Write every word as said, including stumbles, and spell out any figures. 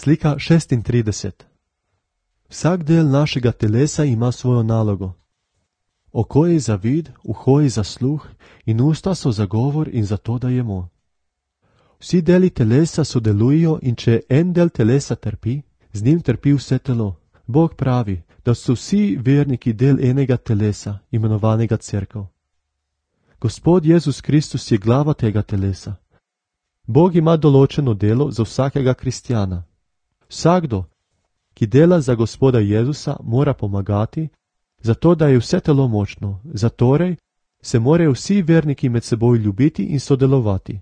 Slika šestintrideset. Vsak del našega telesa ima svojo nalogo. Oko je za vid, uho je za sluh in usta so za govor in za to, da jemo. Vsi deli telesa sodelujo in če en del telesa trpi, z njim trpi vse telo. Bog pravi, da so vsi verniki del enega telesa, imenovanega cerkev. Gospod Jezus Kristus je glava tega telesa. Bog ima določeno delo za vsakega kristjana. Vsakdo, ki dela za Gospoda Jezusa, mora pomagati, zato da je vse telo močno, zatorej se morajo vsi verniki med seboj ljubiti in sodelovati.